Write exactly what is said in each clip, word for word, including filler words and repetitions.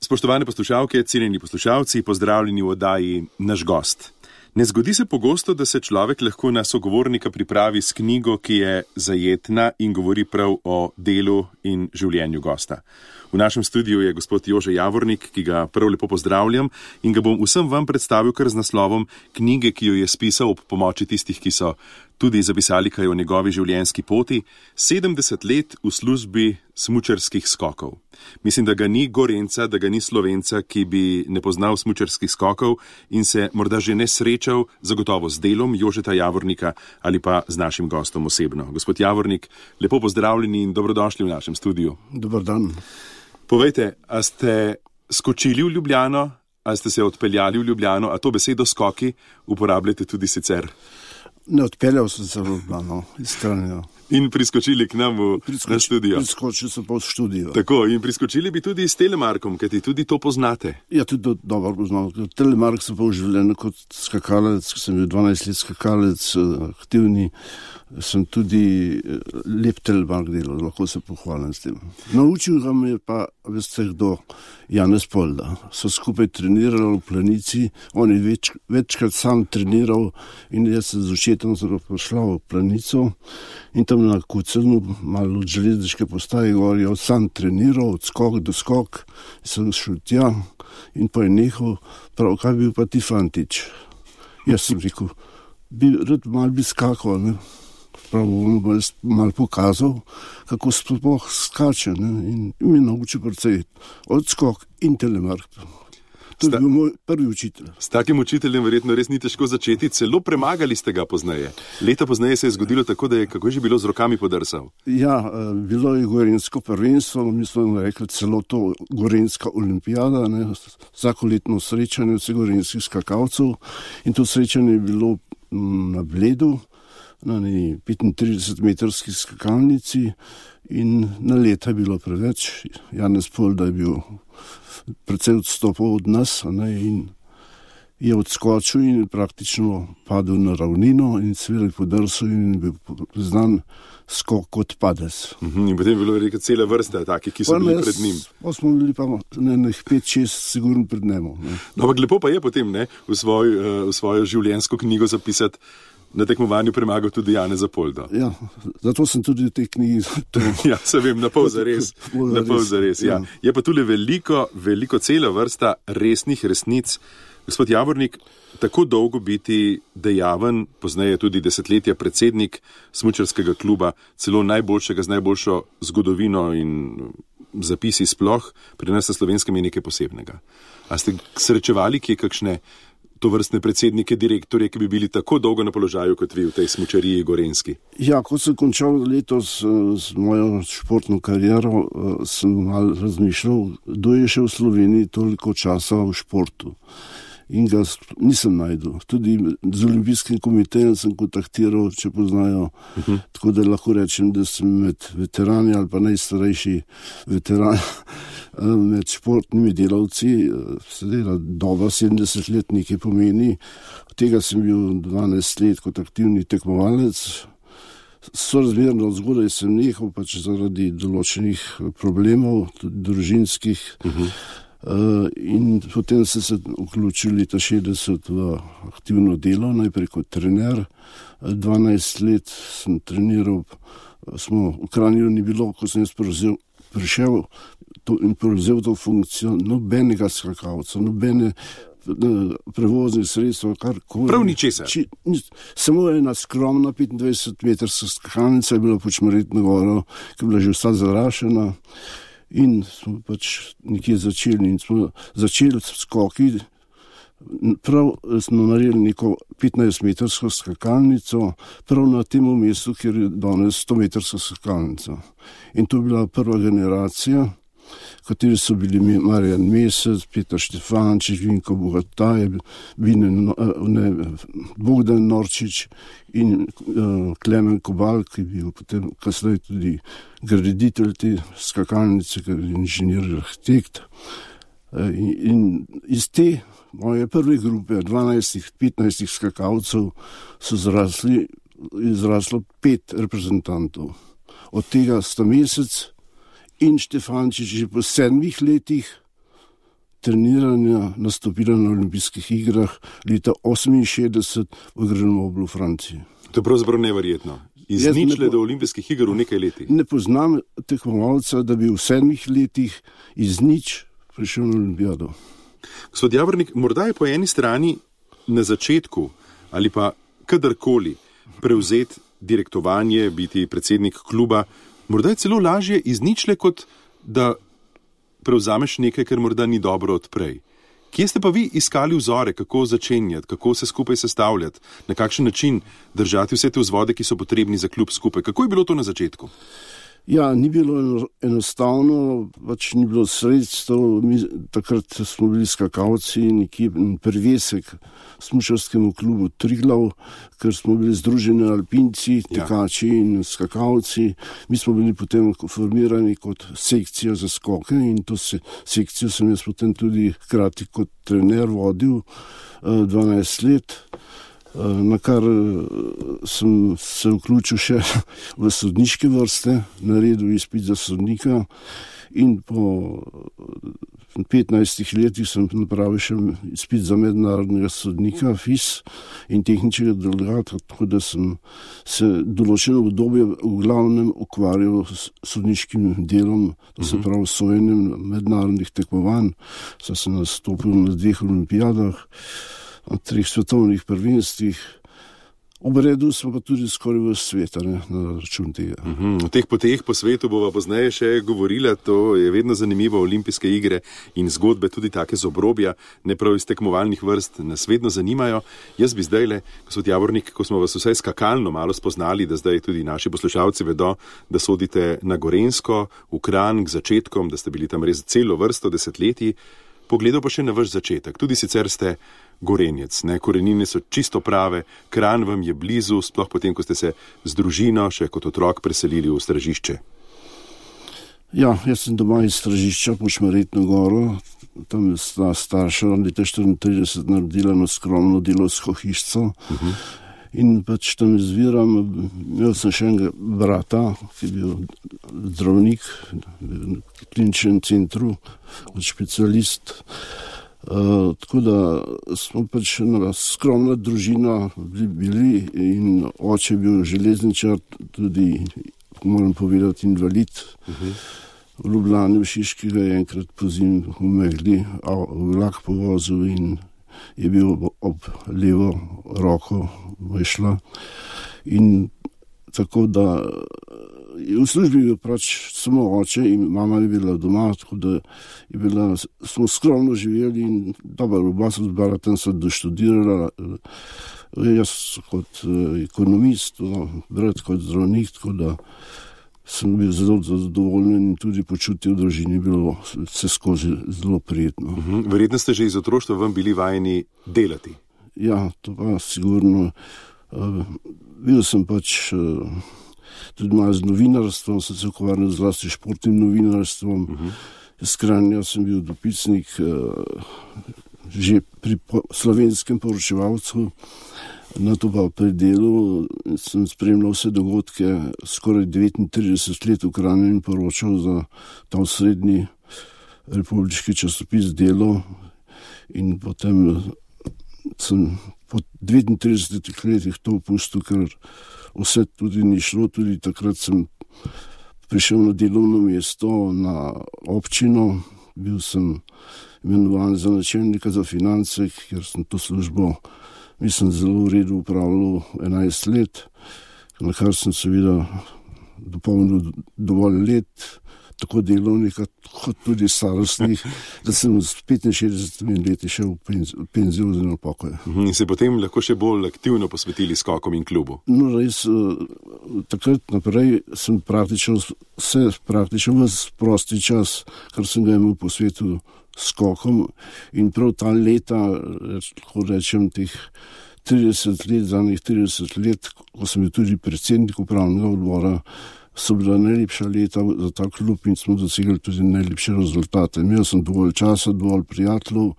Spoštovane poslušalke, cenjeni poslušalci, pozdravljeni v oddaji Naš gost. Ne zgodi se pogosto, da se človek lahko na sogovornika pripravi s knjigo, ki je zajetna in govori prav o delu in življenju gosta. V našem studiu je gospod Jože Javornik, ki ga prav lepo pozdravljam in ga bom vsem vam predstavil kar z naslovom knjige, ki jo je spisal ob pomoči tistih, ki so tudi zapisali kaj o njegovi življenjski poti, sedemdeset let v službi smučarskih skokov. Mislim, da ga ni Gorenca, da ga ni Slovenca, ki bi ne poznal smučarskih skokov in se morda že ne srečal zagotovo z delom Jožeta Javornika ali pa z našim gostom osebno. Gospod Javornik, lepo pozdravljeni in dobrodošli v našem studiu. Dobar dan. Povejte, a ste skočili v Ljubljano, a ste se odpeljali v Ljubljano, a to besedo skoki uporabljate tudi sicer? Ne, odpeljal sem se v Ljubljano, izstranjeno. In priskočili k nam v Priskoči, na studio. Priskočil sem pa v študijo. Tako, in priskočili bi tudi s Telemarkom, kajti tudi to poznate. Ja, tudi to dobro poznam. Telemark sem pa v življenju kot skakalec, ko sem bil dvanajst let skakalec, aktivni. Sem tudi lep Telemark delal, lahko se pohvalim s tem. Naučil ga me pa, veste kdo, Janez Polda. So skupaj trenirali v Planici, on je več, večkrat sam treniral in jaz sem z očetom pošla v Planico in tam na Kucenu, malo od železniške postaje gor, je sam treniral, od skok do skok, sem šel tja in pa je nehal, prav, kaj bil pa ti fantič? Jaz sem rekel, bi, rad mal bi skakal, ne? Prav bom malo pokazal, kako sploh skače, ne? In mi naučil precej odskok in Telemark. To je bil moj prvi učitelj. S takim učiteljem verjetno res ni težko začeti, celo premagali ste ga pozneje. Leta pozneje se je zgodilo tako, da je kako je že bilo z rokami podrsal. Ja, bilo je gorenjsko prvenstvo, mi smo rekli celo to gorenjska olimpijada, ne? Vsakoletno srečanje vseh gorenjskih skakalcev in to srečanje je bilo na Bledu, na petintridesetmetrski skakalnici in na leta je bilo preveč. Janez Polda je bil precej odstopal od nas, ne, in je odskočil in praktično padel na ravnino in seveda podrsal in bil znan skok kot padec. Uhum, in potem je bilo rekel cela vrsta takih, ki so pa bili mes, pred njim. Pa smo bili pa nekaj pet, šest sigurno pred njemu. Ne. No, ampak lepo pa je potem ne, v, svoj, v svojo življenjsko knjigo zapisati, na tekmovanju premagal tudi Janeza Polda. Ja, zato sem tudi v tej knjigi. Ja, se vem, na pol zares. Na pol zares, ja. Je pa tule veliko, veliko cela vrsta resnih resnic. Gospod Javornik, tako dolgo biti dejaven, pozneje tudi desetletja predsednik smučarskega kluba, celo najboljšega z najboljšo zgodovino in zapisi sploh, pri nas na Slovenskem je nekaj posebnega. A ste srečevali kje kakšne to vrstne predsednike, direktorje, ki bi bili tako dolgo na položaju kot vi v tej smučariji gorenjski? Ja, ko sem končal letos z mojo športno kariero, sem malo razmišljal, kdo je še v Sloveniji toliko časa v športu. In ga nisem najdel. Tudi z olimpijskim komitejem sem kontaktiral, če poznajo. Uh-huh. Tako da lahko rečem, da sem med veterani ali pa najstarejši veteran med športnimi delavci. Sedela doba sedemdeset let nekaj pomeni. Od tega sem bil dvanajst let kot aktivni tekmovalec. Sorazmerno zgodaj sem nehal pač zaradi določenih problemov, tudi družinskih. Uh-huh. Uh, in potem sem se vključil leta šestdeset v aktivno delo, najprej kot trener. dvanajst let sem treniral, smo v Kranju ni bilo, ko sem jaz prevzel, prišel to, in prevzel to funkcijo, nobenega skakalca, nobene prevoznih sredstva, karkoli. Prav ničesar. Samo ena skromna petindvajsetmetrska skakalnica je bila po Čmaretno goro, ki je bila že vsa zarašena. In smo pač nekje začeli in smo začeli skoki, prav smo naredili neko petnajstmetrsko skakalnico, prav na tem mestu, kjer je danes stometrska skakalnica. In to je bila prva generacija, kateri so bili Marjan Mesec, Peter Štefančič, Vinko Bogataj, ne, Bogdan Norčič in uh, Klemen Kobal, ki je bil potem kasneje tudi graditelj te skakalnice, ker je inženir arhitekt. Uh, in, in iz te moje prve grupe, dvanajst petnajst skakalcev, so zrasli, izraslo pet reprezentantov. Od tega sta Mesec in Štefančič že po sedmih letih treniranja nastopila na olimpijskih igrah leta oseminšestdeset v Grenoblu v Franciji. To je pravzaprav neverjetno. Iz Jaz ničle ne po- do olimpijskih iger v nekaj letih. Ne poznam tekmovalca, da bi v sedmih letih iz nič prišel na olimpijado. Gospod Javornik, morda je po eni strani na začetku ali pa kadarkoli prevzeti direktovanje, biti predsednik kluba, morda je celo lažje iz ničle, kot da prevzameš nekaj, kar morda ni dobro odprej. Kje ste pa vi iskali vzore, kako začenjati, kako se skupaj sestavljati, na kakšen način držati vse te vzvode, ki so potrebni za klub skupaj? Kako je bilo to na začetku? Ja, ni bilo eno- enostavno, pač ni bilo sredstev. Mi, takrat smo bili skakalci, nekje en privesek smučarskemu klubu Triglav, ker smo bili združeni alpinci, Ja. tekači in skakalci. Mi smo bili potem formirani kot sekcija za skoke in to se, sekcijo sem jaz potem tudi hkrati kot trener vodil eh, dvanajst let. Eh, Na kar eh, sem se vključil še v sodniške vrste, naredil izpit za sodnika in po eh, petnajstih letih sem napravil še izpit za mednarodnega sodnika, F I S in tehničnega delegata, tako da sem se določeno obdobje v glavnem ukvarjal s sodniškim delom, to se pravi sojenjem mednarodnih tekmovanj. Saj sem nastopil na dveh olimpijadah, na treh svetovnih prvenstvih. Obredil smo pa tudi skoraj v svet, a ne, na račun tega. Mhm, o teh poteh po svetu bova pozneje še govorila, to je vedno zanimivo, olimpijske igre in zgodbe, tudi take z obrobja, ne prav iz tekmovalnih vrst, nas vedno zanimajo. Jaz bi zdajle, gospod Javornik, ko smo vas vsaj skakalno malo spoznali, da zdaj tudi naši poslušalci vedo, da sodite na Gorenjsko, v Kranj k začetkom, da ste bili tam res celo vrsto desetletij, pogledal pa še na vaš začetek. Tudi sicer ste Gorenjec, ne, korenine so čisto prave, Kranj vam je blizu, sploh potem, ko ste se z družino še kot otrok preselili v Stražišče. Ja, jaz sem doma iz Stražišča, Počmeretno goro, tam je sta starša leta štiriintrideset naredila eno skromno delovsko hišco. In pač tam izviram, imel sem še enega brata, ki je bil zdravnik v kliničnem centru, kot specialist. Uh, tako da smo pač ena skromna družina bili, bili in oče je bil železničar, tudi, moram povedati, invalid. Uh-huh. V Ljubljani, v Šiški ga je enkrat pozimi v megli vlak povozil in je bil ob levo roko vešla. In tako da v službi je pač samo oče in mama je bila doma, tako da je bila, smo skromno živeli in dobro, oba so z bratom se doštudirala, jaz kot ekonomist, brat kot zdravnik, tako da sem bil zelo zadovoljen in tudi počutje v družini je bilo vse skozi zelo prijetno. Mhm. Verjetno ste že iz otroštva vam bili vajeni delati. Ja, to pa sigurno. Uh, bil sem pač uh, tudi malo z novinarstvom, sem se ukvarjal zlasti športnim novinarstvom. Uh-huh. Z Kranja sem bil dopisnik uh, že pri po- slovenskem poročevalcu. Na to pa pri delu sem spremljal vse dogodke, skoraj devetintrideset let v Kranju in poročal za ta osrednji republiški časopis Delo. In potem sem po devetintridesetih letih to opustil, ker vse tudi ni šlo. Tudi takrat sem prišel na delovno mesto na občino, bil sem imenovan za načelnika za finance, ker sem to službo, mislim, zelo v redu upravljal enajst let, na kar sem seveda dopolnil dovolj let, tako delovnih kot tudi starostnih, da sem s petinšestdesetimi leti šel v penzijo, penzijo oziroma pokoj. Mhm. In se potem lahko še bolj aktivno posvetili skokom in klubu. No, res, eh, takrat naprej sem praktično vse, praktično ves prosti čas, kar sem ga imel po svetu skokom in prav ta leta, reč, lahko rečem, teh trideset let, zadnjih trideset let, ko sem bil tudi predsednik upravnega odbora, so bila najlepša leta za ta klub in smo dosegli tudi najlepše rezultate. Imel sem dovolj časa, dovolj prijateljev,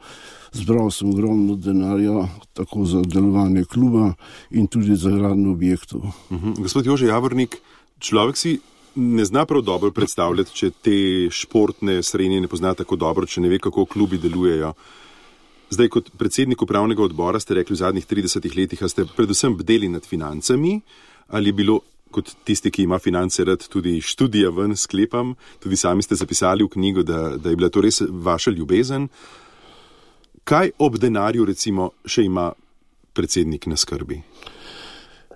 zbral sem ogromno denarja, tako za delovanje kluba in tudi za gradnjo objektov. Mhm. Gospod Jože Javornik, človek si ne zna prav dobro predstavljati, če te športne srenje ne pozna tako dobro, če ne ve, kako klubi delujejo. Zdaj, kot predsednik upravnega odbora ste rekli v zadnjih tridesetih letih, a ste predvsem bdeli nad financami, ali je bilo, kot tisti, ki ima finance rad, tudi študija ven, sklepam, tudi sami ste zapisali v knjigo, da, da je bila to res vaša ljubezen. Kaj ob denarju, recimo, še ima predsednik na skrbi?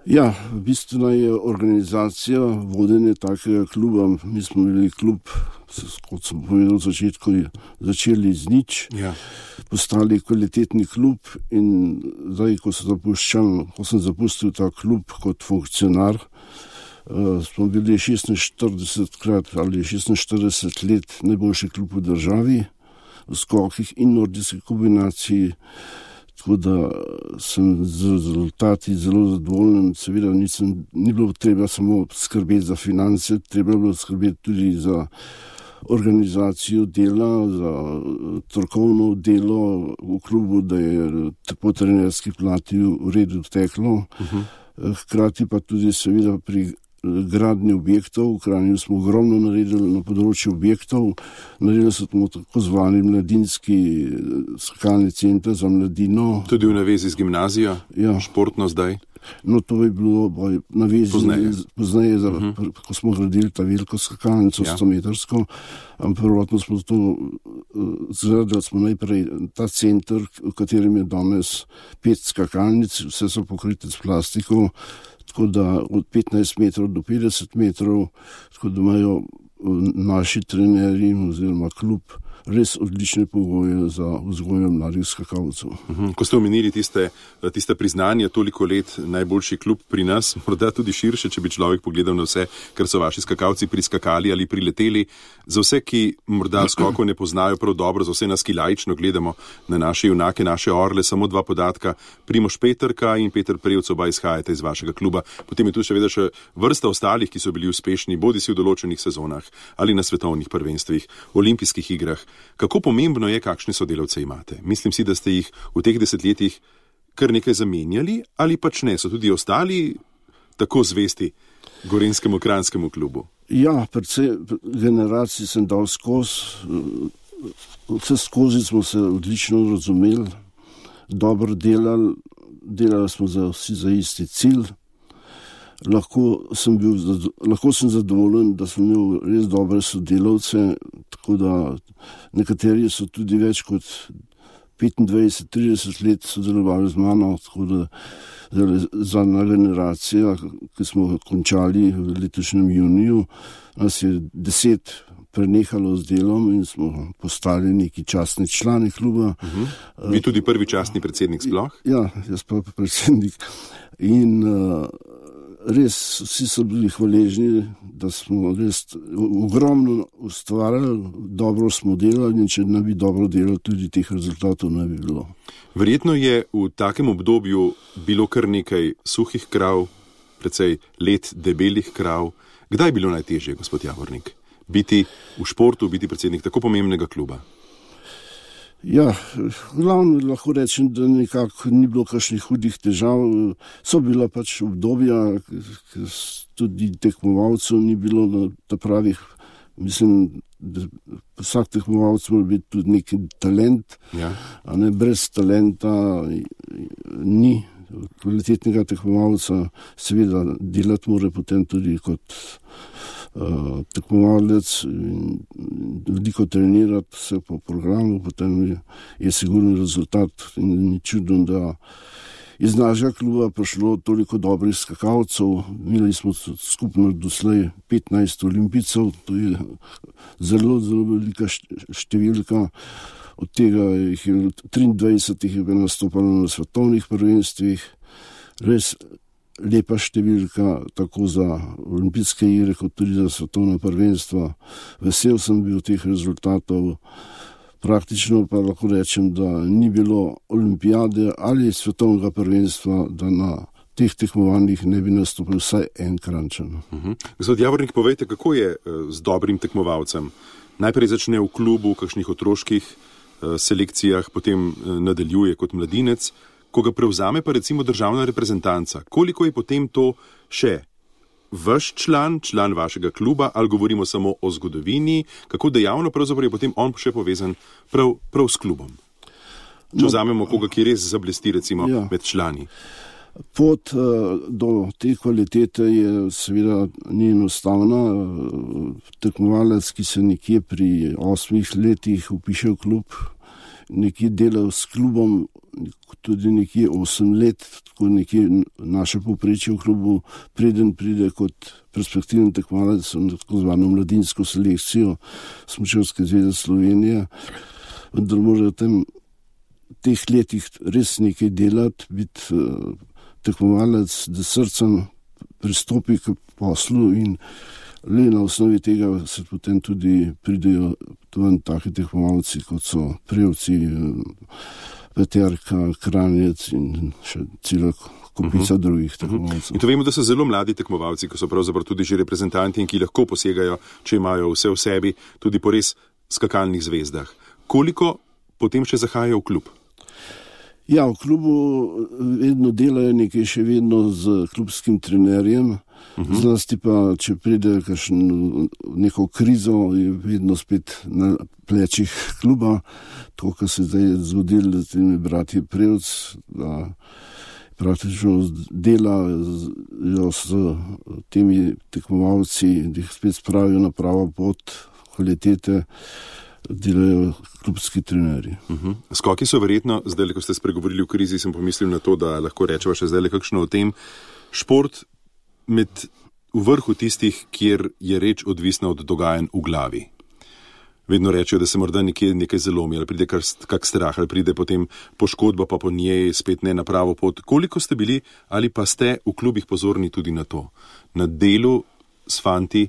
Ja, bistvena je organizacija, vodenje takega kluba. Mi smo imeli klub, kot sem povedal v začetku, začeli z nič, ja. Postali kvalitetni klub in zdaj, ko sem zapuščal, ko sem zapustil ta klub kot funkcionar, uh, smo bili šestinštiridesetkrat ali šestinštirideset let najboljši klub v državi, v skokih in nordijski kombinaciji. Tako da sem z rezultati zelo zadovoljen. Seveda nisem, ni bilo treba samo skrbeti za finance, treba bilo skrbeti tudi za organizacijo dela, za strokovno delo v klubu, da je po trenerski plati v redu teklo. Uh-huh. Hkrati pa tudi seveda pri gradnji objektov. V Kranju smo ogromno naredili na področju objektov. Naredili smo tako zvani mladinski skakalni center za mladino. Tudi v navezi z gimnazijo, ja. Športno zdaj? No, to je bilo boj, navezi pozneje, pozneje za, uh-huh. ko smo gradili ta veliko skakalnico, ja. sto metrsko. Prvotno smo to zgradili, smo najprej ta center, v katerem je danes pet skakalnic, vse so pokrite s plastiko, tako da od petnajst metrov do petdeset metrov, tako da imajo naši trenerji oziroma klub res odlične pogoje za vzgojo mladih skakalcev. Uhum. Ko ste omenili tiste, tiste priznanja, toliko let najboljši klub pri nas, morda tudi širše, če bi človek pogledal na vse, kar so vaši skakalci priskakali ali prileteli. Za vse, ki morda skokov ne poznajo prav dobro, za vse nas, ki laično gledamo na naše junake, naše orle, samo dva podatka. Primož Peterka in Peter Prevc, oba izhajate iz vašega kluba. Potem je tu še vedno še vrsta ostalih, ki so bili uspešni, bodisi v določenih sezonah ali na svetovnih prvenstvih, olimpijskih igrah. Kako pomembno je, kakšne sodelavce imate? Mislim si, da ste jih v teh desetletjih kar nekaj zamenjali, ali pač ne, so tudi ostali tako zvesti gorenjskemu kranjskemu klubu? Ja, predvsej generacij sem dal skozi, vse skozi smo se odlično razumeli, dobro delali, delali smo za vsi za isti cilj. Lahko sem bil, lahko sem zadovoljen, da sem imel res dobre sodelavce, tako da nekateri so tudi več kot petindvajset trideset let sodelovali z mano, tako da zadnja generacija, ki smo končali v letošnjem juniju, nas je deset prenehalo z delom in smo postali neki častni člani kluba. Uh-huh. Vi tudi prvi častni predsednik sploh? Ja, jaz pa predsednik. In uh, res vsi so bili hvaležni, da smo res ogromno ustvarjali, dobro smo delali in če ne bi dobro delali, tudi teh rezultatov ne bi bilo. Verjetno je v takem obdobju bilo kar nekaj suhih krav, precej let debelih krav. Kdaj je bilo najtežje, gospod Javornik, biti v športu, biti predsednik tako pomembnega kluba? Ja, glavno lahko rečem, da nekako ni bilo kakšnih hudih težav. So bila pač obdobja, ker tudi tekmovalcev ni bilo na pravih. Mislim, da vsak tekmovalec mora biti tudi neki talent, ja. A ne brez talenta ni kvalitetnega tekmovalca. Seveda delati mora potem tudi kot Uh, tekmovalec in veliko trenirati se po programu, potem je, je sigurno rezultat in ni čudno, da iz našega kluba prišlo toliko dobrih skakalcev. Imeli smo skupno doslej petnajst olimpijcev, to je zelo, zelo velika številka. Od tega jih je triindvajset jih je nastopalo na svetovnih prvenstvih. Res lepa številka, tako za olimpijske igre, kot tudi za svetovna prvenstva. Vesel sem bil teh rezultatov. Praktično pa lahko rečem, da ni bilo olimpijade ali svetovnega prvenstva, da na teh tekmovanjih ne bi nastopil vsaj en Kranjčan. Uh-huh. Gospod Javornik, povejte, kako je z dobrim tekmovalcem? Najprej začne v klubu, v kakšnih otroških uh, selekcijah, potem uh, nadaljuje kot mladinec. Ko ga prevzame pa recimo državna reprezentanca, koliko je potem to še vaš član, član vašega kluba, ali govorimo samo o zgodovini, kako dejavno pravzaprav je potem on še povezan prav, prav s klubom? Če no, vzamemo koga, ki res zablesti recimo ja. med člani. Pot uh, do te kvalitete je seveda ni enostavna. Tekmovalec, ki se nekje pri osmih letih upiše v klub, nekje dela s klubom tudi nekje osem let, tako nekje naše povprečje v klubu, preden pride kot perspektiven tekmovalec na tako zvano mladinsko selekcijo Smučarske zveze Slovenije. Vendar mora v tem, teh letih res nekaj delati, biti uh, tekmovalec, da srcem pristopi k poslu in le na osnovi tega se potem tudi pridejo ven taki tekmovalci, kot so Prevci, Peterka, Kranjec in še cela kopica uh-huh. drugih tekmovalcev. In to vemo, da so zelo mladi tekmovalci, ki so pravzaprav tudi že reprezentanti in ki lahko posegajo, če imajo vse v sebi, tudi po res skakalnih zvezdah. Koliko potem še zahajajo v klub? Ja, v klubu vedno delajo nekaj še vedno z klubskim trenerjem, uh-huh. zlasti pa, če pride kakšen neko krizo, je vedno spet na plečih kluba, to, kar se zdaj zgodilo s temi bratje Prevc, da praktično delajo s temi tekmovalci, da jih spet spravijo na pravo pot kvalitete, delajo klubski trenerji. Uh-huh. Skoki so verjetno, zdaj, ko ste spregovorili o krizi, sem pomislil na to, da lahko rečeva še zdaj kakšno o tem. Šport med v vrhu tistih, kjer je reč odvisna od dogajanj v glavi. Vedno rečejo, da se morda nekje nekaj zalomi, ali pride kar, kak strah, ali pride potem poškodba, pa po njej spet ne na pravo pot. Koliko ste bili ali pa ste v klubih pozorni tudi na to? Na delu s fanti,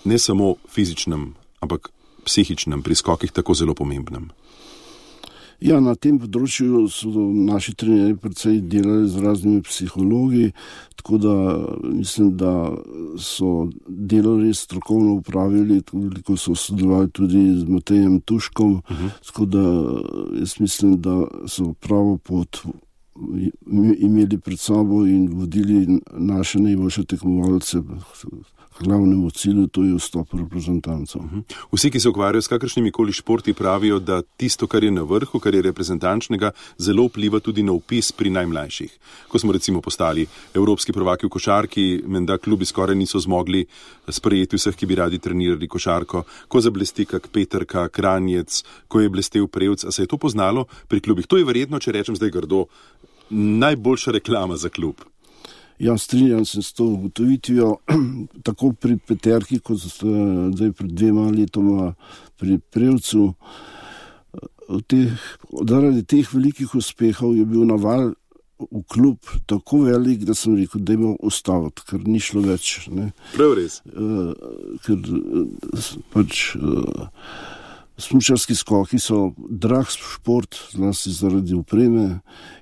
ne samo fizičnem, ampak psihičnem, pri skokih tako zelo pomembnem. Ja, na tem področju so naši trenerji predvsej delali z raznimi psihologi, tako da mislim, da so delo res strokovno upravili, toliko so sodelovali tudi z Matejem Tuškom, uh-huh. tako da jaz mislim, da so pravo pot imeli pred sabo in vodili naše najboljše tekmovalce glavnemu cilju, to je vstop reprezentancov. Vsi, ki se ukvarjajo s kakršnimi koli športi, pravijo, da tisto, kar je na vrhu, kar je reprezentančnega, zelo vpliva tudi na vpis pri najmlajših. Ko smo recimo postali evropski prvaki v košarki, menda klubi skoraj niso zmogli sprejeti vseh, ki bi radi trenirali košarko, ko zablesti kak Peterka, Kranjec, ko je blestel Prevc, a se je to poznalo pri klubih? To je verjetno, če rečem zdaj grdo, najboljša reklama za klub. Ja, strinjam se s to ugotovitvijo, tako pri Peterki, kot zdaj pred dvema letoma pri Prevcu. Zaradi teh velikih uspehov je bil naval v klub tako velik, da sem rekel, da je ustaviti, ker ni šlo več. Ne. Prav res. Uh, ker pač uh, smučarski skoki so drag šport, zlasti zaradi opreme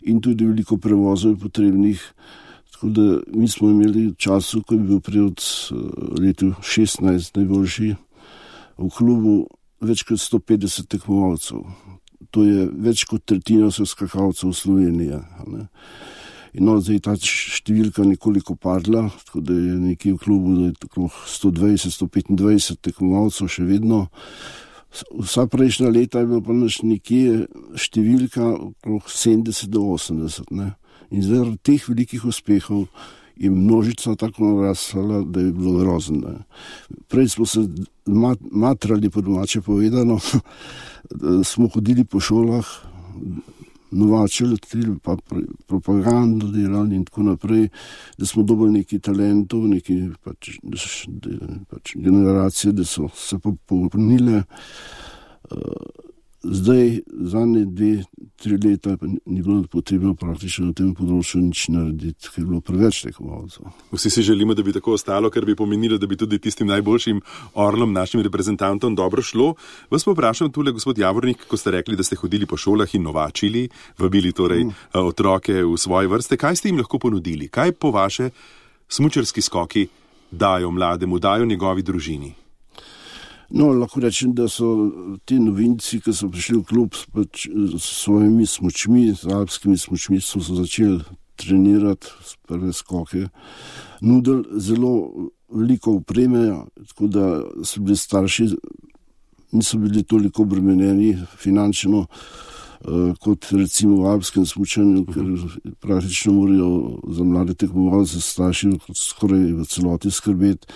in tudi veliko prevozov je potrebnih. Tako da mi smo imeli v času, ko je bil Prevc letu šestnajst najboljši v klubu, več kot sto petdeset tekmovalcev. To je več kot tretjina vseh skakalcev v Sloveniji. Ne. In no, zdaj ta številka nekoliko padla, tako da je nekje v klubu da je tako sto dvajset, sto petindvajset tekmovalcev še vedno. Vsa prejšnja leta je bilo pa naš nekje številka okrog sedemdeset do osemdeset. Ne. In zaradi teh velikih uspehov je množica tako narasla, da je bilo grozno. Prej smo se matrali, po domače povedano, smo hodili po šolah, novačili, pa propagando delali in tako naprej, da smo dobili neki talentov, neki pač, pač generacije, da so se popolnile. Zdaj, zadnje dve, tri leta ni bilo potrebno praktično na tem področju nič narediti, ker je bilo preveč tekmovalcev. Vsi si želimo, da bi tako ostalo, ker bi pomenilo, da bi tudi tistim najboljšim orlom, našim reprezentantom dobro šlo. Vas pa vprašam tule, gospod Javornik, ko ste rekli, da ste hodili po šolah in novačili, vabili torej mm. otroke v svoje vrste. Kaj ste jim lahko ponudili? Kaj po vaše smučarski skoki dajo mlademu, dajo njegovi družini? No, lahko rečem, da so ti novinci, ki so prišli v klub pač, s svojimi smučmi, z alpskimi smučmi, so začeli trenirati prve skoke, nudili zelo veliko opreme, tako da so bili starši, niso bili toliko obremenjeni finančno, kot recimo v alpskem smučanju, ker praktično morajo za mlade tekmovalce starši skoraj v celoti skrbeti.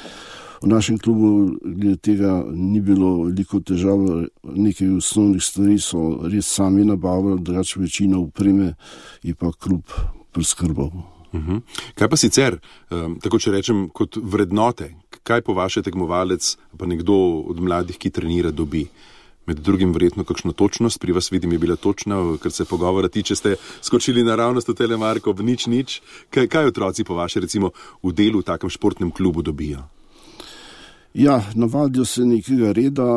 V našem klubu glede tega ni bilo veliko težav, nekaj osnovnih stvari so res sami nabavili, drugače večina opreme je pa klub priskrbal. Uhum. Kaj pa sicer, tako če rečem, kot vrednote, kaj po vaše tekmovalec, pa nekdo od mladih, ki trenira, dobi? Med drugim verjetno kakšno točnost, pri vas vidim je bila točna, ker se pogovora tiče, ste skočili naravnost v telemarko, v nič, nič. Kaj, kaj otroci po vaše recimo v delu v takem športnem klubu dobijo? Ja, navadijo se nekega reda.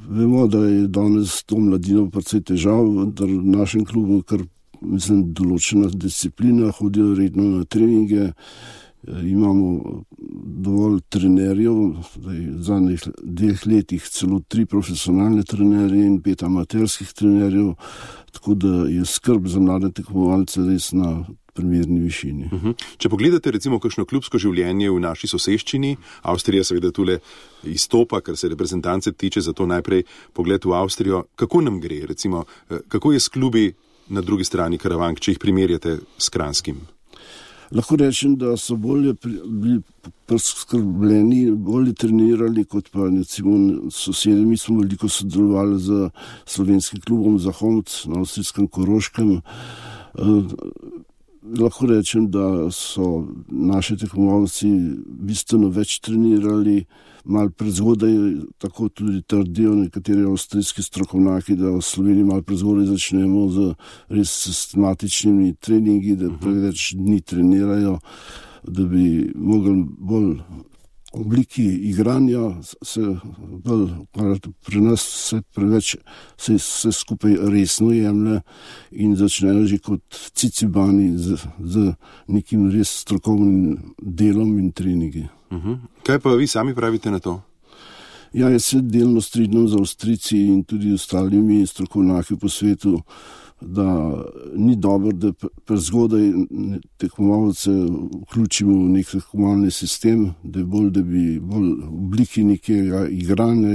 Vemo, da je danes to mladino precej težav, da v našem klubu kar, mislim, določena disciplina, hodijo redno na treninge, imamo dovolj trenerjev, v zadnjih dveh letih celo tri profesionalne trenerje in pet amaterskih trenerjev, tako da je skrb za mlade tekmovalce res na primerni višini. Uh-huh. Če pogledate recimo kakšno klubsko življenje v naši soseščini, Avstrija seveda tule izstopa, kar se reprezentance tiče, zato najprej pogled v Avstrijo, kako nam gre, recimo, kako je s klubi na drugi strani Karavank, če jih primerjate s Kranskim? Lahko rečem, da so bolje bili preskrbljeni, bolje trenirali kot pa recimo sosedi. Mi smo veliko sodelovali z slovenskim klubom Zahomc na avstrijskem Koroškem. Lahko rečem, da so naši tekmovalci bistveno več trenirali, malo prezgodaj, tako tudi trdijo nekateri avstrijski strokovnjaki, da v Sloveniji malo prezgodaj začnemo z res sistematičnimi treningi, da preveč dni trenirajo, da bi mogli bolj obliki igranja se bolj, pri nas se preveč se, se skupaj resno jemlje in začnejo že kot cicibani z, z nekim res strokovnim delom in treningi. Uh-huh. Kaj pa vi sami pravite na to? Ja, jaz se delno strinjam z Avstrijci in tudi ostalimi strokovnjaki po svetu, da ni dobro, da prezgodaj tekmovalce vključimo v nek tekmovalni sistem, da je bolj, da bi bolj v obliki nekega igranja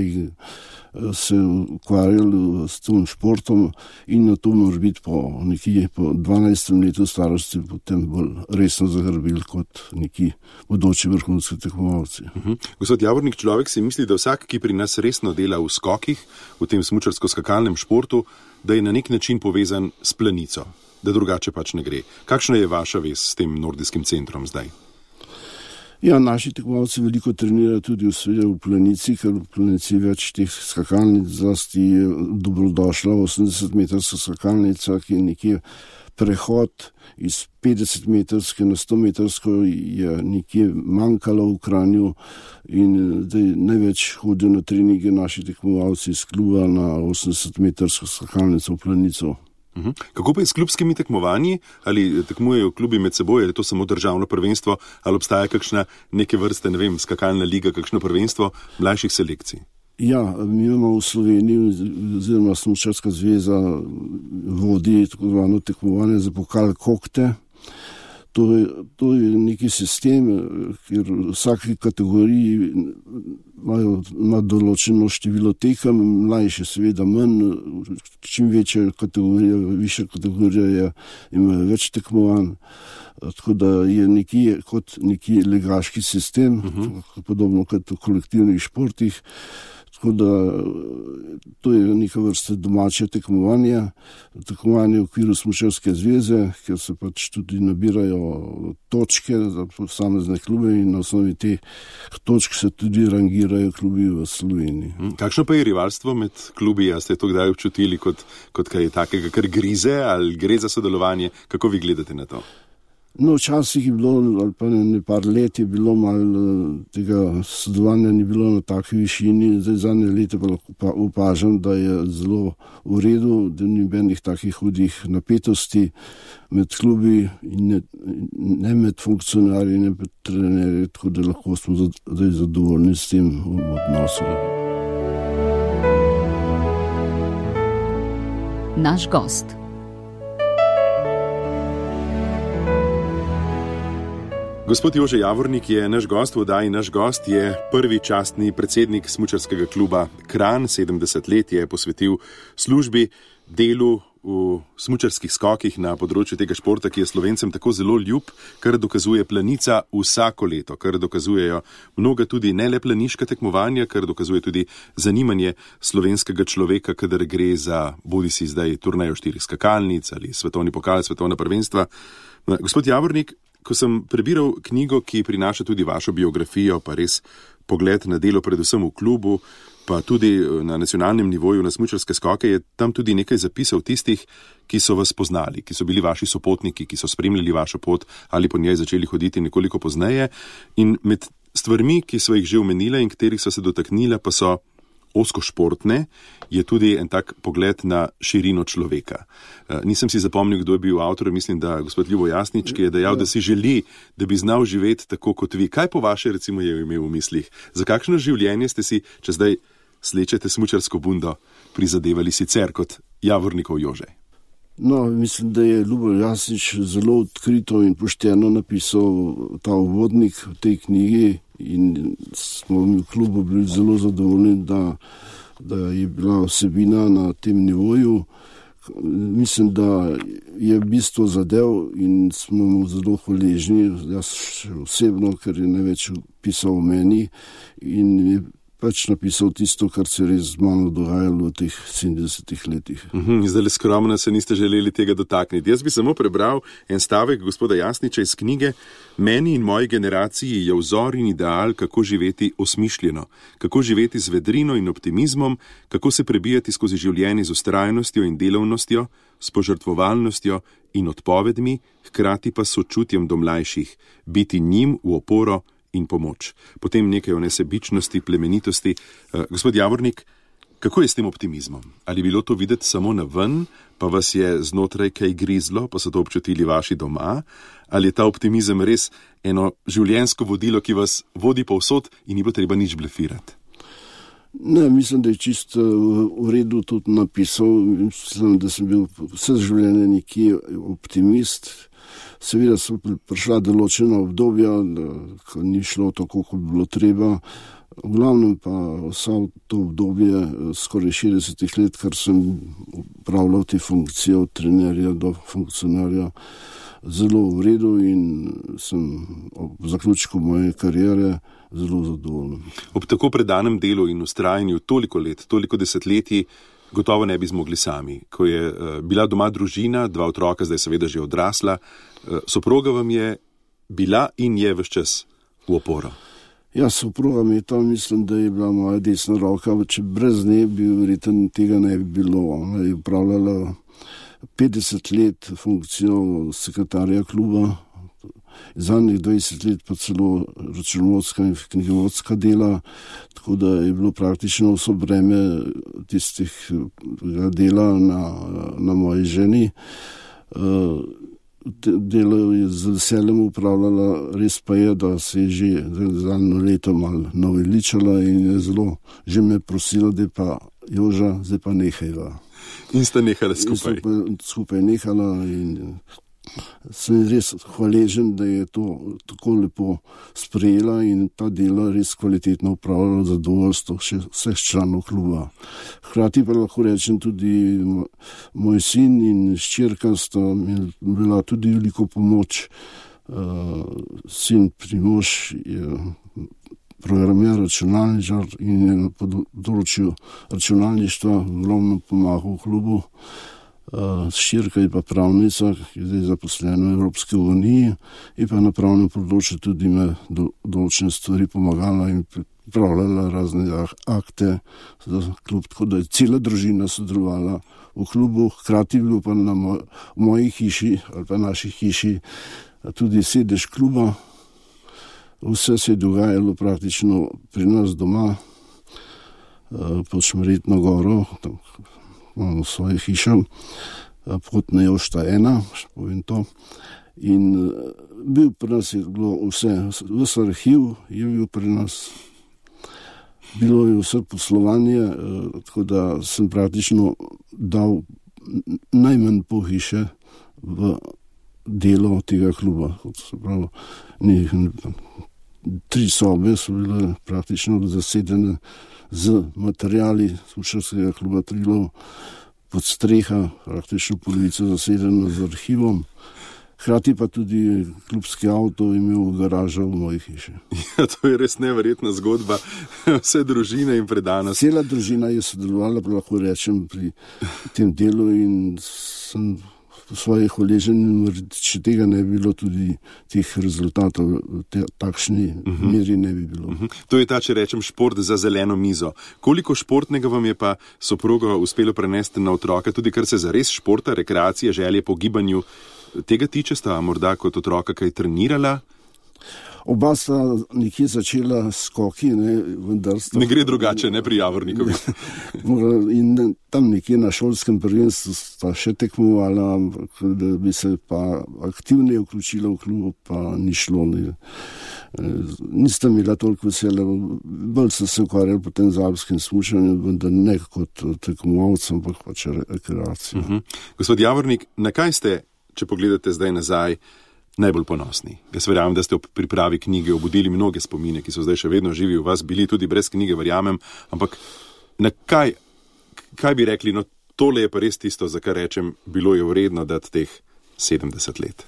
se ukvarjali s tem športom in na to mora biti po nekje po dvanajstem letu starosti potem bolj resno zagrbili kot neki bodoči vrhunski tekmovalci. Uh-huh. Gospod Javornik, človek si misli, da vsak, ki pri nas resno dela v skokih, v tem smučarsko-skakalnem športu, da je na nek način povezan s planico, da drugače pač ne gre. Kakšna je vaša vez s tem nordijskim centrom zdaj? Ja, naši tekmovalci veliko trenirajo tudi v, v planici, ker v planici več teh skakalnic, zlasti je dobrodošla osemdesetmetrska skakalnica, ki je nekje prehod iz petdesetmetrske na stometrsko je nekje manjkalo v Kranju in zdaj največ hodijo na treninge naši tekmovalci iz kluba na osemdesetmetrsko skakalnico v planico. Uhum. Kako pa je s klubskimi tekmovanji? Ali tekmujejo klubi med seboj, ali je to samo državno prvenstvo, ali obstaja kakšna neke vrste, ne vem, skakalna liga, kakšno prvenstvo mlajših selekcij? Ja, mi imamo v Sloveniji, oziroma Smučarska zveza vodi tako zvano tekmovanje za pokal kokte. To je, to je neki sistem, kjer v vsaki kategoriji imajo na določeno število tekem, mlajše seveda manj, čim večja kategorija, višja kategorija je, imajo več tekmovanj, tako da je nekje kot neki legaški sistem, uh-huh. podobno kot v kolektivnih športih. Tako da to je neka vrsta domače tekmovanje, tekmovanje v okviru Smučarske zveze, kjer se pač tudi nabirajo točke za posamezne klube in na osnovi teh točk se tudi rangirajo klubi v Sloveniji. Kakšno pa je rivalstvo med klubi? A ste to kdaj občutili kot, kot kaj takega, kar grize ali gre za sodelovanje? Kako vi gledate na to? No, včasih je bilo, ali pa ne par let je bilo malo tega sodelovanja ni bilo na taki višini, zdaj zadnje leta pa lahko opažam, da je zelo v redu, da ni nobenih takih hudih napetosti med klubi in ne, ne med funkcionarji, ne med trenerji, tako da lahko smo zdaj zadovoljni s tem odnosom. Naš gost. Gospod Jože Javornik je naš gost v oddaji. Naš gost je prvi častni predsednik smučarskega kluba Kranj. sedemdeset let je posvetil službi, delu v smučarskih skokih na področju tega športa, ki je Slovencem tako zelo ljub, kar dokazuje Planica vsako leto, kar dokazujejo mnoga tudi ne le planiška tekmovanja, kar dokazuje tudi zanimanje slovenskega človeka, kadar gre za bodisi zdaj turnejo štirih skakalnic ali svetovni pokal, svetovna prvenstva. Gospod Javornik, ko sem prebiral knjigo, ki prinaša tudi vašo biografijo, pa res pogled na delo predvsem v klubu, pa tudi na nacionalnem nivoju na smučarske skoke, je tam tudi nekaj zapisov tistih, ki so vas poznali, ki so bili vaši sopotniki, ki so spremljali vašo pot ali po njej začeli hoditi nekoliko pozneje. In med stvarmi, ki so jih že omenila in katerih so se dotaknila, pa so ozko športne, je tudi en tak pogled na širino človeka. Nisem si zapomnil, kdo je bil avtor, mislim, da gospod Ljubo Jasnič, ki je dejal, da si želi, da bi znal živeti tako kot vi. Kaj po vaše recimo je imel v mislih? Za kakšno življenje ste si, če zdaj slečete smučarsko bundo, prizadevali sicer kot Javornikov Jože? No, mislim, da je Ljubo Jasnič zelo odkrito in pošteno napisal ta uvodnik v tej knjigi in smo mi v klubu bili zelo zadovoljni, da, da je bila vsebina na tem nivoju. Mislim, da je bistvo zadev in smo mu zelo hvaležni, jaz osebno, ker je največ pisal o meni in je pač napisal tisto, kar se res z mano dogajalo v teh sedemdesetih letih. Uhum, zdaj le skromno se niste želeli tega dotakniti. Jaz bi samo prebral en stavek gospoda Jasniča iz knjige. Meni in moji generaciji je vzor in ideal, kako živeti osmišljeno, kako živeti z vedrino in optimizmom, kako se prebijati skozi življenje z vztrajnostjo in delovnostjo, s požrtvovalnostjo in odpovedmi, hkrati pa s sočutjem do mlajših, biti njim v oporo in pomoč. Potem nekaj o nesebičnosti, plemenitosti. Uh, gospod Javornik, kako je s tem optimizmom? Ali bilo to videti samo na ven, pa vas je znotraj kaj grizlo, pa so to občutili vaši doma? Ali je ta optimizem res eno življenjsko vodilo, ki vas vodi povsod in ni bo treba nič blefirati? Ne, mislim, da je čisto v redu tudi napisal. Mislim, da sem bil vse življenje nekje optimist. Seveda so prišla določena obdobja, ko ni šlo tako, kot bi bilo treba. V glavnem pa vsa to obdobje, skoraj šestdeset let, kar sem upravljal te funkcije od trenerja do funkcionarja, zelo v redu in sem ob zaključku moje kariere zelo zadovoljen. Ob tako predanem delu in vztrajanju toliko let, toliko desetletij, gotovo ne bi zmogli sami. Ko je uh, bila doma družina, dva otroka, zdaj seveda že odrasla, uh, soproga vam je bila in je ves čas v oporo. Ja, soproga mi je tam, mislim, da je bila moja desna roka, če brez nje bi verjetno tega ne bi bilo. Ona je upravljala petdeset let funkcijo sekretarja kluba, zadnjih dvajset let pa celo računovodska in knjigovodska dela, tako da je bilo praktično vso breme tistih dela na, na moji ženi. Delo je z veseljem upravljala, res pa je, da se je že zadnjo leto malo naveličala in je zelo že me prosila, da pa Joža, zdaj pa nehajva. In sta nehala skupaj. In sta skupaj nehala in sem res hvaležen, da je to tako lepo sprejela in ta dela res kvalitetno upravljala zadovoljstvo vseh članov kluba. Hkrati pa lahko rečem tudi moj sin in hčerka sta mi bila tudi veliko pomoč. Uh, sin Primož je programer, računalničar in je na področju računalništva ogromno pomagal v klubu. Hčerka je pa pravnica, ki je zdaj zaposlena v Evropski uniji in pa na pravnem področju tudi me do, določene stvari pomagala in pripravljala razne akte za klub, tako da je cela družina sodelovala v klubu. Hkrati bilo pa na moj, moji hiši ali pa naši hiši tudi sedež kluba. Vse se je dogajalo praktično pri nas doma, pod Šmarjetno goro, tam imamo svoje hiše, pot na Jošta ena, povem to. In bil pri nas je bilo vse, vse arhiv je bil pri nas, bilo je vse poslovanje, tako da sem praktično dal najmanj pol hiše v delo tega kluba. Pravi, ne, tri sobe so bile praktično zasedene z materijali smučarskega kluba Triglav, pod streha, praktično polovico zasedeno z arhivom. Hkrati pa tudi klubski avto imel garažo v moji hiši. Ja, to je res neverjetna zgodba. Vse družine in predanost. Cela družina je sodelovala, lahko rečem, pri tem delu in sem v svojih hvaležen, če tega ne bi bilo, tudi teh rezultatov te, takšni uh-huh. meri ne bi bilo. Uh-huh. To je ta, če rečem, šport za zeleno mizo. Koliko športnega vam je pa soproga uspelo prenesti na otroka, tudi kar se zares športa, rekreacije, želje po gibanju tega tiče, sta morda kot otroka kaj trenirala? Oba sta nekje začela skoki, ne, vendar sta... Ne gre drugače, ne pri Javorniku. In tam nekje na šolskem prvenstvu sta še tekmovala, da bi se pa aktivno vključila v klub, pa ni šlo. Ne. Nista imela toliko vesela, bolj so se ukvarjali po tem alpskem smučanju, vendar ne kot tekmovalcem, ampak pač rekreacijo. Uh-huh. Gospod Javornik, na kaj ste, če pogledate zdaj nazaj, najbolj ponosni? Jaz verjamem, da ste ob pripravi knjige obudili mnoge spomine, ki so zdaj še vedno živi v vas, bili tudi brez knjige, verjamem, ampak na kaj, kaj bi rekli, no tole je pa res tisto, za kar rečem, bilo je vredno dati teh sedemdeset let.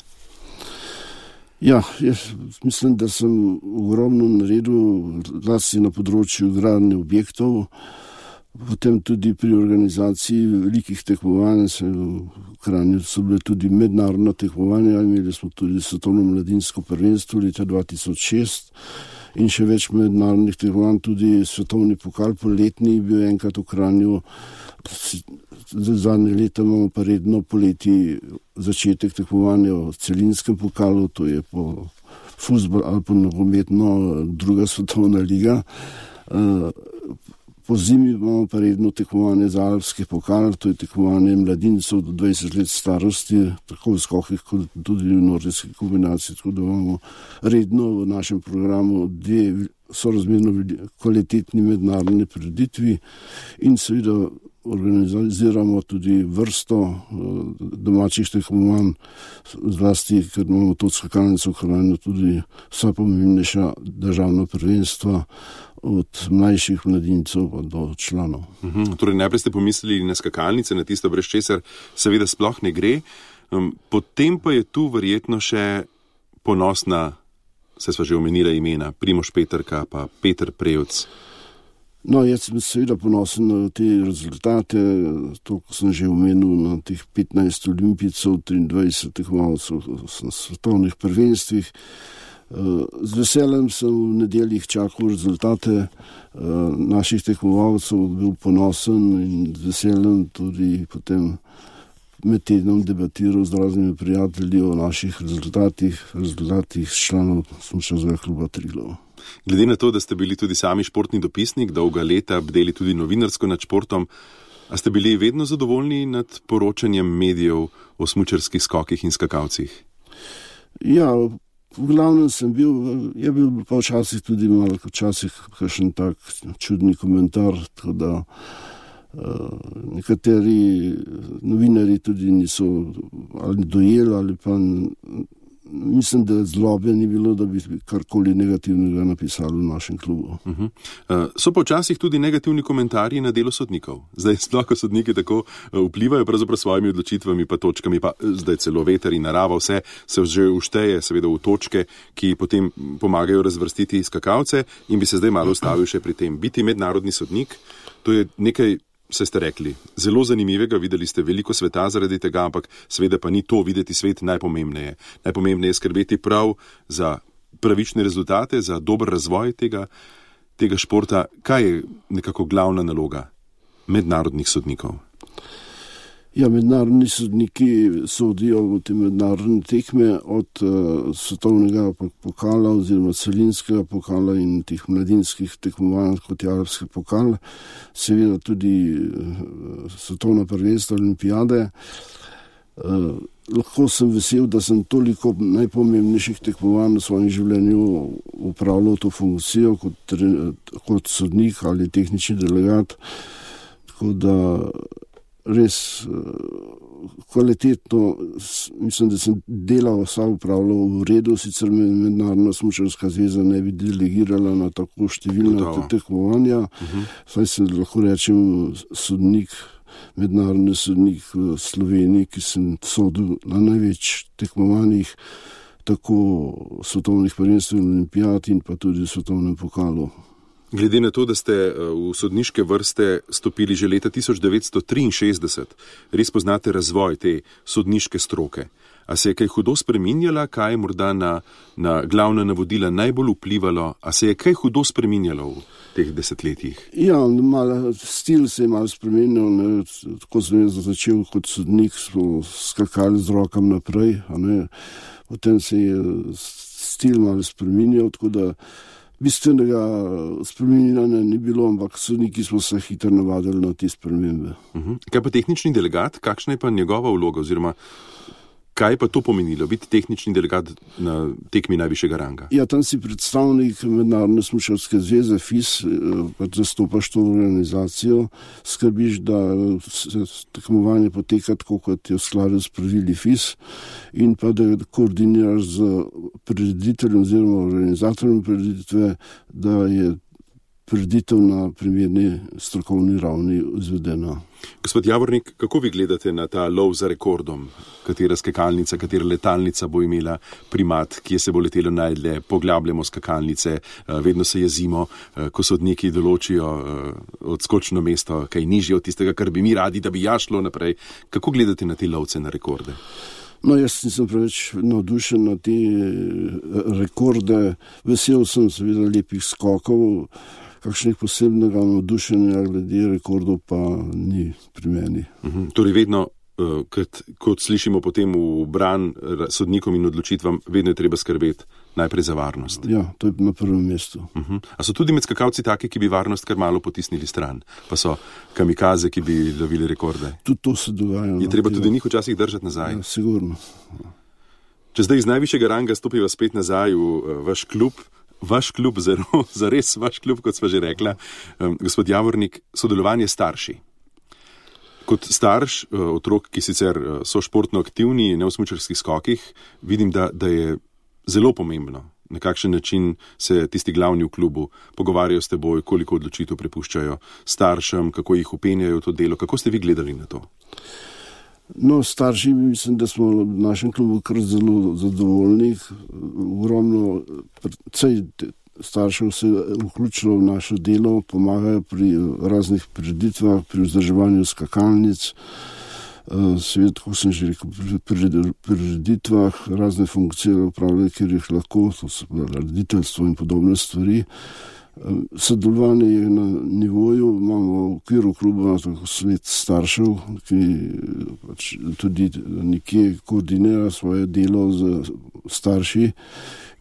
Ja, jaz mislim, da sem ogromno naredil, zlasti na področju gradnje objektov, potem tudi pri organizaciji velikih tekmovanj, v Kranju so bile tudi mednarodna tekmovanja, imeli smo tudi svetovno mladinsko prvenstvo leta dva tisoč šest in še več mednarodnih tekmovanj, tudi svetovni pokal poletni bil enkrat v Kranju. Zadnje leta imamo pa redno poleti začetek tekmovanja v celinskem pokalu, to je po fuzbol ali po nogometno druga svetovna liga. Po zimi imamo pa redno tekmovanje za alpski pokal, to je tekmovanje mladincev do dvajset let starosti, tako v skokih kot tudi v nordijski kombinaciji, tako da imamo redno v našem programu dve sorazmerno kvalitetni mednarodni prireditvi in seveda organiziramo tudi vrsto domačih tekmovanj, zlasti, ker imamo to skakalnico v Kranju, tudi vsa pomembnejša državna prvenstva, od mlajših mladincev pa do članov. Uhum, torej najprej ste pomislili na skakalnice, na tisto, brez česar seveda sploh ne gre. Um, potem pa je tu verjetno še ponosna, se sva že omenila imena, Primož Peterka pa Peter Prevc. No, jaz sem seveda ponosen na te rezultate, to, ko sem že omenil, na teh petnajst olimpijcev, triindvajset tekmovalcev na svetovnih prvenstvih. Z veseljem sem v nedeljih čakal rezultate naših tekmovalcev, bil ponosen in z veseljem tudi potem med tednom debatiral z raznimi prijatelji o naših rezultatih, rezultatih članov smučarskega kluba Triglav. Glede na to, da ste bili tudi sami športni dopisnik, dolga leta bdeli tudi novinarsko nad športom, a ste bili vedno zadovoljni nad poročanjem medijev o smučarskih skokih in skakalcih? Ja, v glavnem sem bil, je bil pa včasih tudi malo, včasih kakšen tak čudni komentar, tako da uh, nekateri novinari tudi niso ali dojeli, ali pa mislim, da zlobe ni bilo, da bi karkoli negativnega napisali v našem klubu. Uh-huh. Uh, so pa včasih tudi negativni komentarji na delo sodnikov. Zdaj sploh, ko sodniki tako vplivajo pravzaprav svojimi odločitvami pa točkami, pa zdaj celo veter in narava, vse se že ušteje seveda v točke, ki potem pomagajo razvrstiti skakalce in bi se zdaj malo ustavil še pri tem. Biti mednarodni sodnik, to je nekaj, se ste rekli, zelo zanimivega, videli ste veliko sveta zaradi tega, ampak seveda pa ni to videti svet najpomembneje. Najpomembneje je skrbeti prav za pravične rezultate, za dober razvoj tega, tega športa. Kaj je nekako glavna naloga mednarodnih sodnikov? Ja, mednarodni sodniki sodijo v te mednarodne tekme od uh, svetovnega pokala oziroma celinskega pokala in teh mladinskih tekmovanj kot je alpski pokal, seveda tudi uh, svetovna prvenstva, olimpijade. Uh, lahko sem vesel, da sem toliko najpomembnejših tekmovanj v svojem življenju upravljal to funkcijo kot, kot sodnik ali tehnični delegat, tako da res kvalitetno, mislim, da sem delal, vsa upravljal v redu, sicer me Mednarodna smučarska zveza ne bi delegirala na tako številna tekmovanja, uh-huh. Saj se lahko rečem sodnik, mednarodni sodnik v Sloveniji, ki sem sodil na največ tekmovanjih, tako svetovnih prvenstev in olimpijad in pa tudi v svetovnem pokalu. Glede na to, da ste v sodniške vrste stopili že leta tisoč devetsto triinšestdeset, res poznate razvoj te sodniške stroke. A se je kaj hudo spreminjala, kaj je morda na, na glavna navodila najbolj vplivalo, a se je kaj hudo spreminjalo v teh desetletjih? Ja, malo, stil se je malo spremenil, ne, tako sem začel kot sodnik, smo skakali z rokam naprej, a ne, potem se je stil malo spreminjal, tako da bistvenega spreminjanja ni bilo, ampak sodniki smo se hitro navadili na te spremembe. Uh-huh. Kaj pa tehnični delegat? Kakšna je pa njegova vloga oziroma kaj pa to pomenilo, biti tehnični delegat na tekmi najvišjega ranga? Ja, tam si predstavnik Mednarodne smučarske zveze F I S, pa zastopaš to organizacijo, skrbiš, da tekmovanje poteka tako, kot je v skladu s pravili F I S in pa da koordiniraš z prirediteljem oziroma organizatorjem prireditve, da je prireditev na primerni strokovni ravni izvedena. Gospod Javornik, kako vi gledate na ta lov za rekordom? Katera skakalnica, katera letalnica bo imela primat, kje se bo letelo najdlje, poglabljamo skakalnice, vedno se jezimo, ko sodniki določijo odskočno mesto, kaj nižje od tistega, kar bi mi radi, da bi ja šlo naprej. Kako gledate na te lovce na rekorde? No, jaz nisem preveč navdušen na te rekorde. Vesel sem seveda lepih skokov, kakšnih posebnega navdušenja glede rekordov pa ni pri meni. Uh-huh. Torej vedno, uh, kot, kot slišimo potem v bran sodnikom in odločitvam, vedno je treba skrbeti najprej za varnost. Ja, to je na prvem mestu. Uh-huh. A so tudi med skakalci taki, ki bi varnost kar malo potisnili stran? Pa so kamikaze, ki bi lovili rekorde? Tudi to se dogaja. Je treba tudi njih včasih držati nazaj? Ja, sigurno. Če zdaj iz najvišjega ranga stopiva spet nazaj v uh, vaš klub, Vaš klub, zelo, zares vaš klub, kot sva že rekla, um, gospod Javornik, sodelovanje starši. Kot starš, uh, otrok, ki sicer uh, so športno aktivni, ne v smučarskih skokih, vidim, da, da je zelo pomembno, na kakšen način se tisti glavni v klubu pogovarjajo s teboj, koliko odločitev prepuščajo staršem, kako jih upenjajo v to delo. Kako ste vi gledali na to? No, starši, mislim, da smo v našem klubu kar zelo zadovoljni. Ogromno, cej staršev se je vključilo v našo delo, pomagajo pri raznih prireditvah, pri vzdrževanju skakalnic, seveda, kot sem že rekel, pri prireditvah, razne funkcije upravljajo, kjer jih lahko, to so rediteljstvo in podobne stvari. Sodelovanje je na nivoju, imamo v okviru kluba svet staršev, ki pač tudi nekje koordinira svoje delo z starši,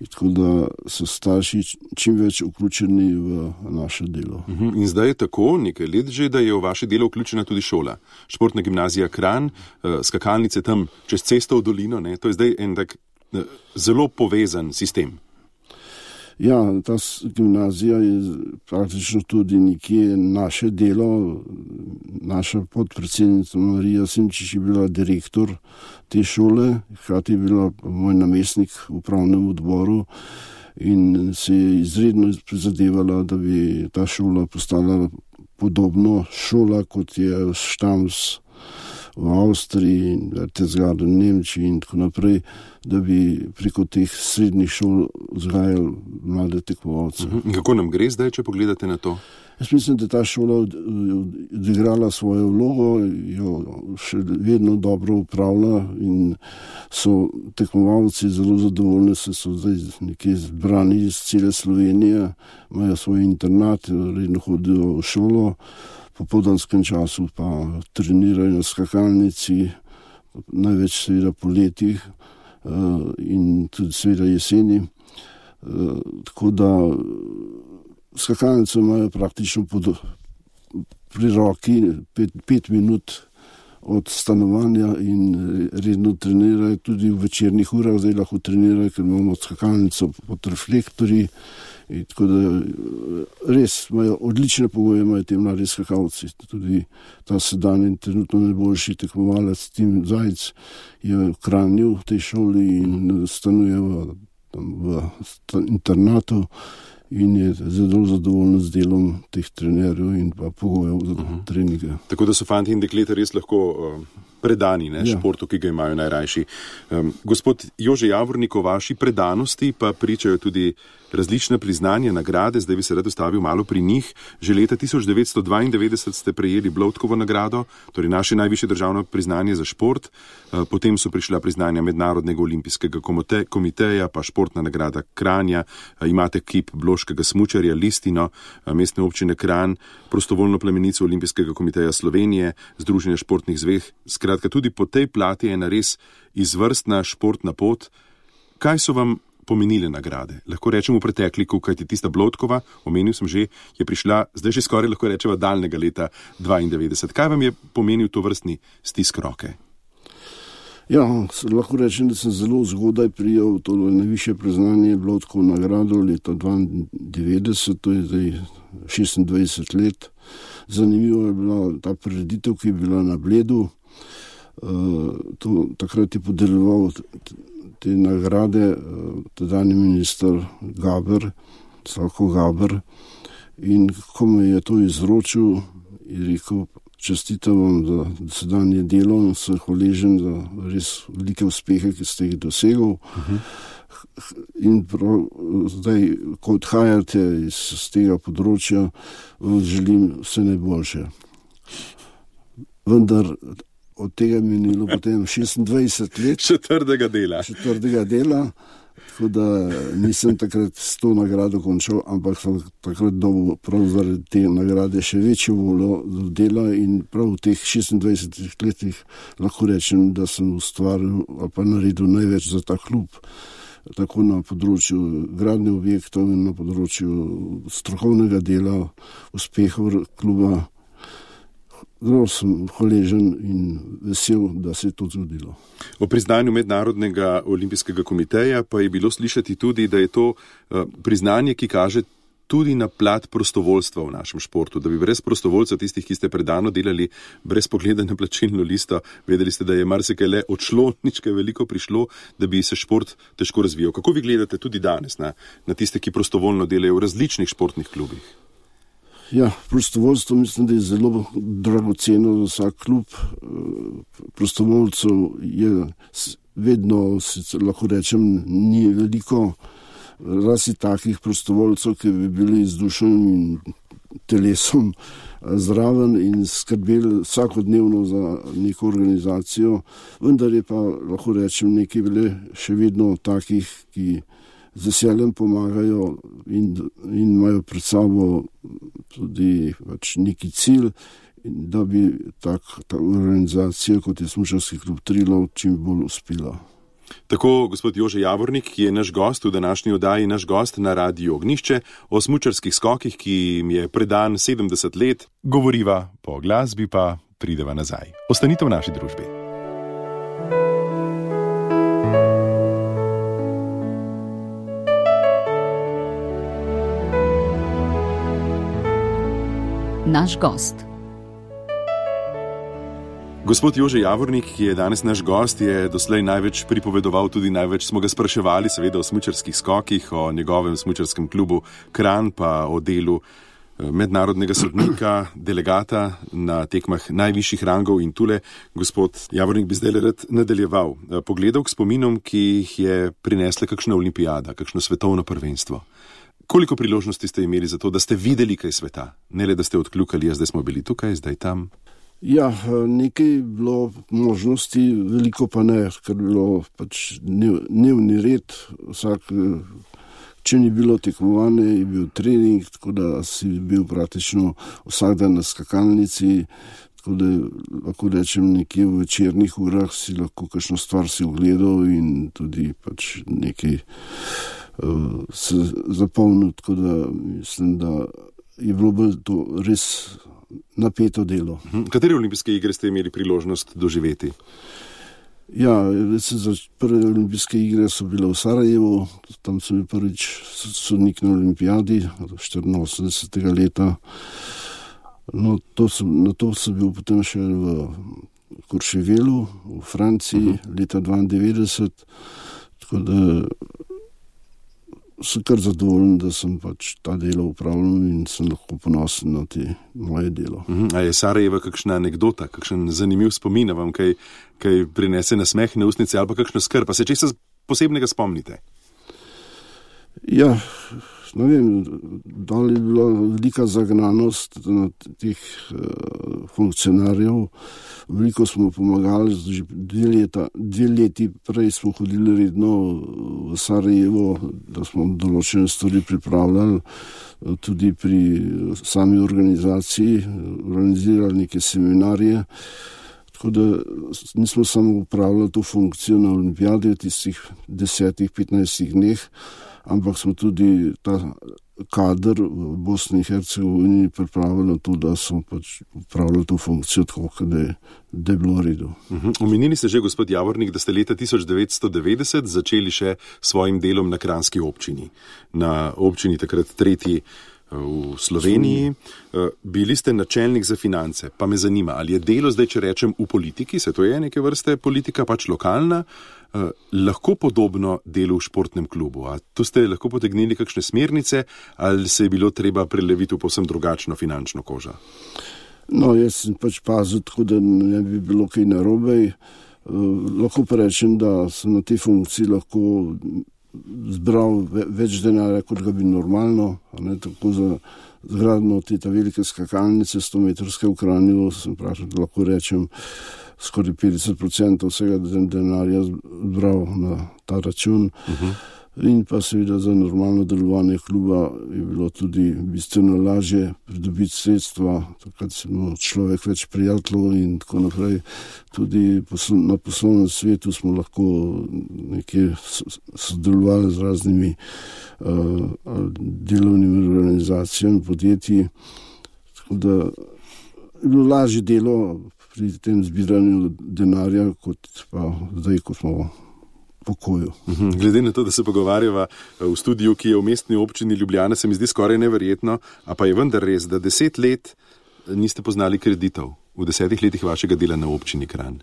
tako da so starši čim več vključeni v naše delo. In zdaj je tako, nekaj let že, da je v vaše delo vključena tudi šola. Športna gimnazija Kranj, skakalnice tam čez cesto v dolino, ne? To je zdaj en tak zelo povezan sistem. Ja, ta gimnazija je praktično tudi nekje naše delo. Naša podpredsednica Marija Simčič je bila direktor te šole, hkrati je bila moj namestnik v upravnem odboru in se je izredno prizadevala, da bi ta šola postala podobno šola, kot je Štams v Avstriji, Berchtesgaden v Nemčiji in tako naprej, da bi preko teh srednjih šol vzgajali mlade tekmovalce. Uh-huh. Kako nam gre zdaj, če pogledate na to? Jaz mislim, da ta šola odigrala svojo vlogo, jo še vedno dobro upravlja in so tekmovalci zelo zadovoljni, se so zdaj nekje zbrani iz cele Slovenije, imajo svoj internat, redno hodijo v šolo, po popoldanskem času pa trenirajo na skakalnici, največ seveda poleti in tudi seveda jeseni. Tako da skakalnice imajo praktično pod, pri roki pet, pet minut od stanovanja in redno trenirajo tudi v večernih urah, zdaj lahko trenirajo, ker imamo skakalnico pod reflektorji. In tako da res imajo odlične pogoje, imajo te mladi skakalci. Tudi ta sedanji trenutno najboljši tekmovalec Tim Zajc je v Kranju v tej šoli in stanuje v, tam, v internatu in je zelo zadovoljen z delom teh trenerjev in pa pogojev za uh-huh. treninge. Tako da so fanti in dekleta res lahko uh, predani ne, ja. športu, ki ga imajo najrajši. Um, gospod Jože Javornik, o vaši predanosti pa pričajo tudi različna priznanja, nagrade, zdaj bi se rad ustavil malo pri njih. Že leta tisoč devetsto dvaindevetdeset ste prejeli Bloudkovo nagrado, torej naše najvišje državno priznanje za šport, potem so prišla priznanja Mednarodnega olimpijskega komiteja, pa športna nagrada Kranja, imate kip bloškega smučarja, listino Mestne občine Kranj, prostovoljno plemenico Olimpijskega komiteja Slovenije, Združenja športnih zvez. Skratka, tudi po tej plati je ena res izvrstna športna pot. Kaj so vam pomenile nagrade? Lahko rečemo v pretekliku, kajti tista Bloudkova, omenil sem že, je prišla, zdaj že skoraj lahko rečeva daljnega leta dvaindevetdeset. Kaj vam je pomenil to vrstni stisk roke? Ja, lahko rečem, da sem zelo zgodaj prijel to najvišje priznanje Bloudkovo nagrado leta dvaindevetdeset, to je zdaj šestindvajset let. Zanimivo je bila ta prireditev, ki je bila na Bledu. Uh, to, takrat je podeljeval te nagrade tedajni minister Gaber, Slavko Gaber, in ko me je to izročil, je rekel, čestitam vam za dosedanje delo in sem hvaležen za res velike uspehe, ki ste jih dosegel. Uh-huh. In prav zdaj, ko odhajate iz, iz tega področja, vam želim vse najboljše. Vendar od tega minilo potem šestindvajset let. Četrdega dela. Četrdega dela, tako da nisem takrat s to nagrado končal, ampak sem takrat dobil prav zaradi te nagrade še večjo voljo do dela in prav v teh šestindvajsetih letih lahko rečem, da sem ustvaril ali pa naredil največ za ta klub, tako na področju gradnje objektov in na področju strokovnega dela, uspehov kluba. Zelo sem hvaležen in vesel, da se je to zgodilo. O priznanju Mednarodnega olimpijskega komiteja pa je bilo slišati tudi, da je to uh, priznanje, ki kaže tudi na plat prostovoljstva v našem športu, da bi brez prostovoljcev, tistih, ki ste predano delali, brez pogleda na plačilno listo, vedeli ste, da je marsikaj le odšlo, nič kaj veliko prišlo, da bi se šport težko razvijal. Kako vi gledate tudi danes na, na tiste, ki prostovoljno delajo v različnih športnih klubih? Ja, prostovoljstvo mislim, da je zelo dragoceno za vsak klub. Prostovoljcev je vedno, lahko rečem, ni veliko, razi takih prostovoljcev, ki bi bili z dušo in telesom zraven in skrbeli vsakodnevno za neko organizacijo, vendar je pa, lahko rečem, nekaj bile še vedno takih, ki z veseljem pomagajo in, in imajo pred sabo tudi pač neki cilj, da bi tak, ta organizacija, kot je Smučarski klub Triglav, čim bolj uspela. Tako gospod Jože Javornik, ki je naš gost v današnji oddaji, naš gost na Radiu Ognjišče, o smučarskih skokih, ki jim je predan sedemdeset let, govoriva po glasbi, pa prideva nazaj. Ostanite v naši družbi. Naš gost. Gospod Jože Javornik, ki je danes naš gost, je doslej največ pripovedoval, tudi največ smo ga spraševali, seveda o smučarskih skokih, o njegovem smučarskem klubu Kranj, pa o delu mednarodnega sodnika, delegata na tekmah najvišjih rangov in tule. Gospod Javornik bi zdaj rad nadaljeval. Pogledal k spominom, ki jih je prinesla kakšna olimpijada, kakšno svetovno prvenstvo. Koliko priložnosti ste imeli za to, da ste videli kaj sveta? Ne le, da ste odkljukali, zdaj smo bili tukaj, zdaj tam. Ja, nekaj bilo možnosti, veliko pa ne, ker bilo pač dnevni red. Vsak, če ni bilo tekmovanje, je bil trening, tako da si bil praktično vsak dan na skakalnici, tako da lahko rečem, nekje v večernih urah si lahko kakšno stvar si ogledal in tudi pač nekaj se zapomnil, tako da mislim, da je bilo bolj to res napeto delo. Katere olimpijske igre ste imeli priložnost doživeti? Ja, za prve olimpijske igre so bile v Sarajevu, tam sem bil prvič sodnik na olimpijadi štiriinosemdesetega leta. No, to sem, na to sem bil potem še v Courchevelu v Franciji uh-huh. leta dvaindevetdeset, tako da sem kar zadovoljen, da sem pač ta delo upravljal in sem lahko ponosen na te moje delo. Uh-huh. A je Sarajeva kakšna anekdota, kakšen zanimiv spomin, vam kaj, kaj prinese nasmeh na ustnice ali pa kakšno skrb, pa se česa posebnega spomnite? Ja, ne vem, dal je bila velika zagnanost na teh uh, funkcionarjev. Veliko smo pomagali, že dve, leta, dve leti prej smo hodili redno v Sarajevo, da smo določene stvari pripravljali, tudi pri sami organizaciji, organizirali neke seminarje. Tako da nismo samo upravljali to funkcijo na olimpijadi v tistih desetih, petnajstih dneh, ampak smo tudi ta kader v Bosni in Hercegovini pripravili na to, da smo pač upravljali to funkcijo tako, da je, da je bilo v redu. Uh-huh. Omenili ste že, gospod Javornik, da ste leta tisoč devetsto devetdeset začeli še svojim delom na kranjski občini. Na občini takrat tretji v Sloveniji. Bili ste načelnik za finance, pa me zanima, ali je delo zdaj, če rečem, v politiki, se to je neke vrste politika, pač lokalna, lahko podobno delu v športnem klubu. A tu ste lahko potegnili kakšne smernice, ali se je bilo treba preleviti v povsem drugačno finančno kožo? No, jaz sem pač pazil, tako da ne bi bilo kaj narobe. Lahko pa rečem, da sem na tej funkciji lahko zbral več denarja, kot ga bi normalno, ne, tako za zgradno te ta velike skakalnice, sto metrske v Kranju, sem prašal, da lahko rečem, skoraj petdeset procentov vsega denarja zbral na ta račun. Uh-huh. In pa seveda za normalno delovanje kluba je bilo tudi bistveno lažje pridobiti sredstva, takrat se imel človek več prijateljev in tako naprej. Tudi na poslovnem svetu smo lahko nekje sodelovali z raznimi uh, delovnimi organizacijami, podjetji. Tako da je bilo lažje delo pri tem zbiranju denarja, kot pa zdaj, ko smo pokoju. Glede na to, da se pogovarjava v studiu, ki je v mestni občini Ljubljana, se mi zdi skoraj neverjetno, a pa je vendar res, da deset let niste poznali kreditov v desetih letih vašega dela na občini Kranj.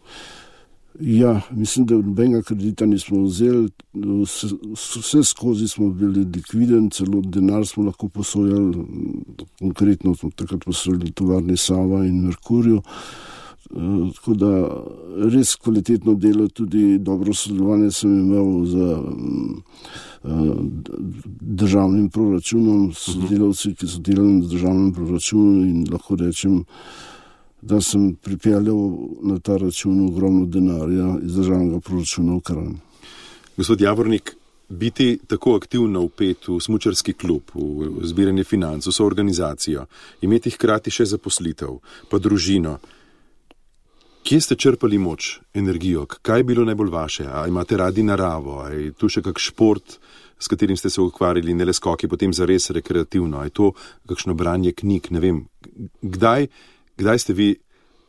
Ja, mislim, da nobenega kredita nismo vzeli, vse, vse skozi smo bili likviden, celo denar smo lahko posojali, konkretno smo takrat posojali tovarni Sava in Merkurju. Tako da res kvalitetno delo, tudi dobro sodelovanje sem imel z državnim proračunom, sodelavci, ki so delali na državnem proračunu in lahko rečem, da sem pripeljal na ta račun ogromno denarja iz državnega proračuna v Kranj. Gospod Javornik, biti tako aktivno vpet v smučarski klub, v zbiranje financ, v soorganizacijo, imeti hkrati še zaposlitev, pa družino. Kje ste črpali moč, energijo? Kaj je bilo najbolj vaše? A imate radi naravo? A je tu še kak šport, s katerim ste se ukvarjali, ne le skoki, potem zares rekreativno? A je to kakšno branje knjig? Ne vem. Kdaj, kdaj ste vi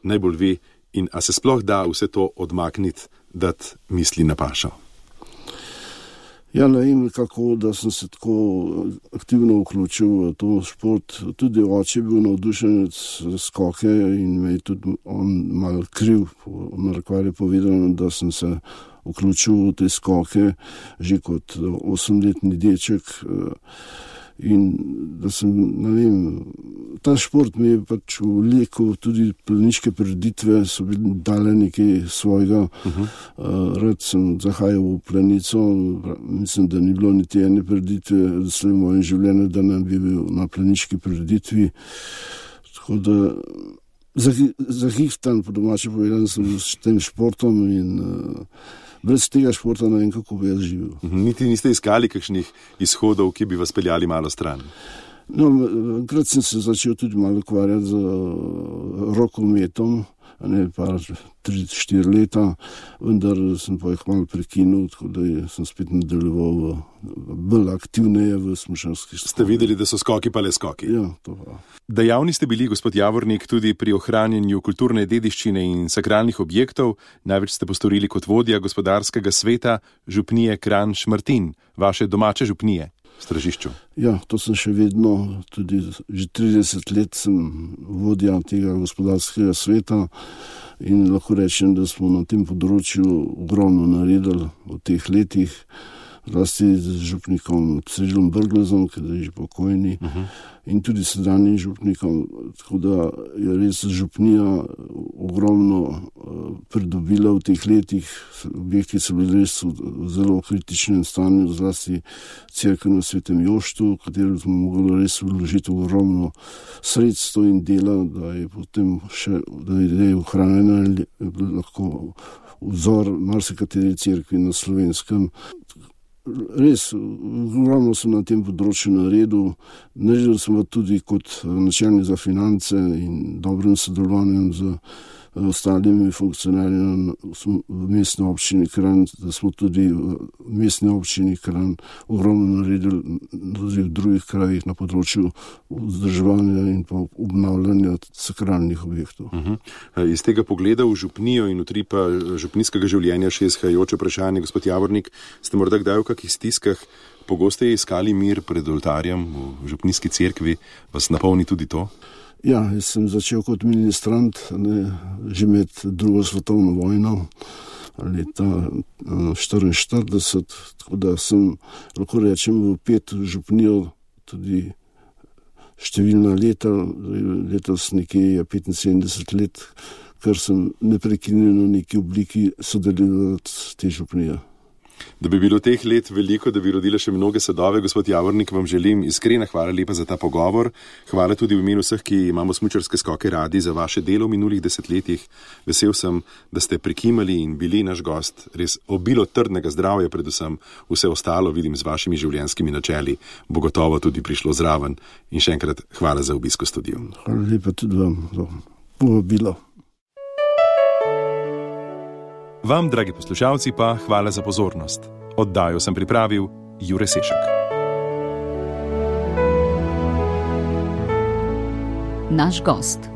najbolj vi in a se sploh da vse to odmakniti, dati misli na pašo? Ja, ne vem kako, da sem se tako aktivno vključil v to šport. Tudi oče je bil navdušenec skoke in me je tudi on malo kriv, narekovaj je povedano, da sem se vključil v te skoke že kot osemletni deček in da sem, ne vem, ta šport mi je pač vlekel, tudi planiške prireditve so bili dale nekaj svojega. Uh-huh. Uh, rad sem zahajal v planico, mislim, da ni bilo niti ene prireditve v mojem življenju, da ne bi bil na planiški prireditvi. Tako da zahihtan, po domače povedano, sem s tem športom in uh, brez tega športa ne vem, kako bi jaz živel. Niti niste iskali kakšnih izhodov, ki bi vas peljali malo stran? No, enkrat sem se začel tudi malo ukvarjati z rokometom, ne pa tri, štiri leta, vendar sem pa jih malo prekinil, tako da sem spet nadaljeval bolj aktivneje v smučarskih skokih. Ste videli, da so skoki pa le skoki? Ja, to pa. Dejavni ste bili, gospod Javornik, tudi pri ohranjanju kulturne dediščine in sakralnih objektov. Največ ste postorili kot vodja gospodarskega sveta župnije Kranj-Šmartin, vaše domače župnije v Stražišču. Ja, to sem še vedno, tudi že trideset let sem vodja tega gospodarskega sveta in lahko rečem, da smo na tem področju ogromno naredili v teh letih, zlasti z župnikom Cirilom Brglezom, ki je že pokojni, uh-huh. in tudi sedanjim župnikom, tako da je res župnija ogromno uh, pridobila v teh letih. Objekti so bili res v zelo kritičnem stanju, zlasti cerkev na Svetem Joštu, v katero smo mogli res vložiti ogromno sredstev in dela, da je potem še, da je ohranjena lahko vzor marsikateri cerkvi na Slovenskem. Res, ogromno sem na tem področju naredil. Naredil sem pa tudi kot načelnik za finance in dobrim sodelovanjem z ostalimi funkcionarji v mestni občini Kranj, da smo tudi v mestni občini Kranj ogromno naredili tudi v drugih krajih na področju vzdrževanja in pa obnavljanja sakralnih objektov. Uh-huh. Iz tega pogleda v župnijo in utripa župnijskega življenja še izhajajoče vprašanje, gospod Javornik, ste morda kdaj v kakih stiskah pogosteje iskali mir pred oltarjem v župnijski cerkvi, vas napolni tudi to? Ja, jaz sem začel kot ministrant ne, že med drugo svetovno vojno, leta štiriinštirideset, tako da sem, lahko rečem, vpet v župnijo tudi številna leta, letos nekje je petinsedemdeset let, ker sem neprekinjeno v neki obliki sodeloval te župnije. Da bi bilo teh let veliko, da bi rodile še mnoge sadove, gospod Javornik, vam želim iskrena hvala lepa za ta pogovor. Hvala tudi v imenu vseh, ki imamo smučarske skoke radi, za vaše delo v minulih desetletjih. Vesel sem, da ste prikimali in bili naš gost. Res obilo trdnega zdravja, predvsem vse ostalo, vidim, z vašimi življenjskimi načeli, bo gotovo tudi prišlo zraven. In še enkrat hvala za obisk v studiu. Hvala lepa tudi vam za povabilo. Vam, dragi poslušalci, pa hvala za pozornost. Oddajo sem pripravil Jure Sešek. Naš gost.